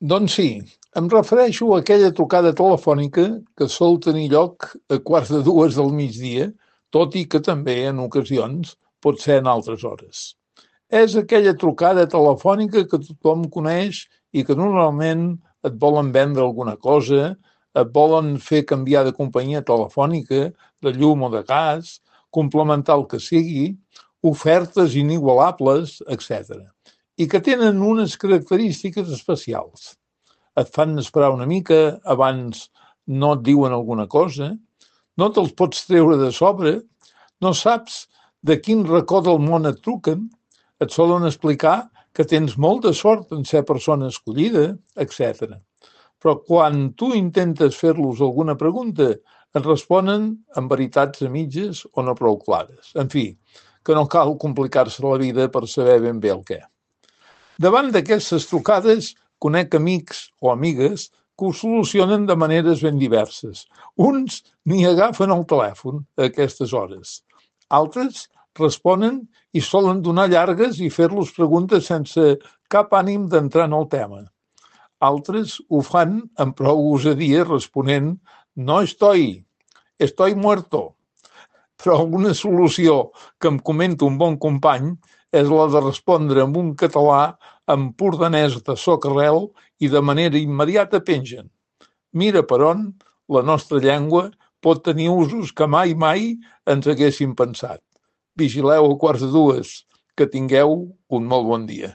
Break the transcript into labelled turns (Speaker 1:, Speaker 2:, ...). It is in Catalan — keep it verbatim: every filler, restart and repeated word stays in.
Speaker 1: Doncs sí, em refereixo a aquella trucada telefònica que sol tenir lloc a quarts de dues del migdia, tot i que també, en ocasions, pot ser en altres hores. És aquella trucada telefònica que tothom coneix i que normalment et volen vendre alguna cosa, et volen fer canviar de companyia telefònica, de llum o de gas, complementar el que sigui, ofertes inigualables, etcètera. I que tenen unes característiques especials. Et fan esperar una mica, abans no et diuen alguna cosa, no te'ls pots treure de sobre, no saps de quin racó del món et truquen, et solen explicar que tens molta sort en ser persona escollida, etcètera. Però quan tu intentes fer-los alguna pregunta, et responen amb veritats a mitges o no prou clares. En fi, que no cal complicar-se la vida per saber ben bé el què. Davant d'aquestes trucades, conec amics o amigues que ho solucionen de maneres ben diverses. Uns ni agafen el telèfon a aquestes hores. Altres responen i solen donar llargues i fer-los preguntes sense cap ànim d'entrar en el tema. Altres ho fan amb prou gosadia responent «no estoy, estoy muerto». Però una solució que em comenta un bon company és la de respondre amb un català empordanès de soca-rel i de manera immediata pengen. Mira per on la nostra llengua pot tenir usos que mai, mai ens haguéssim pensat. Vigileu a quarts de dues, que tingueu un molt bon dia.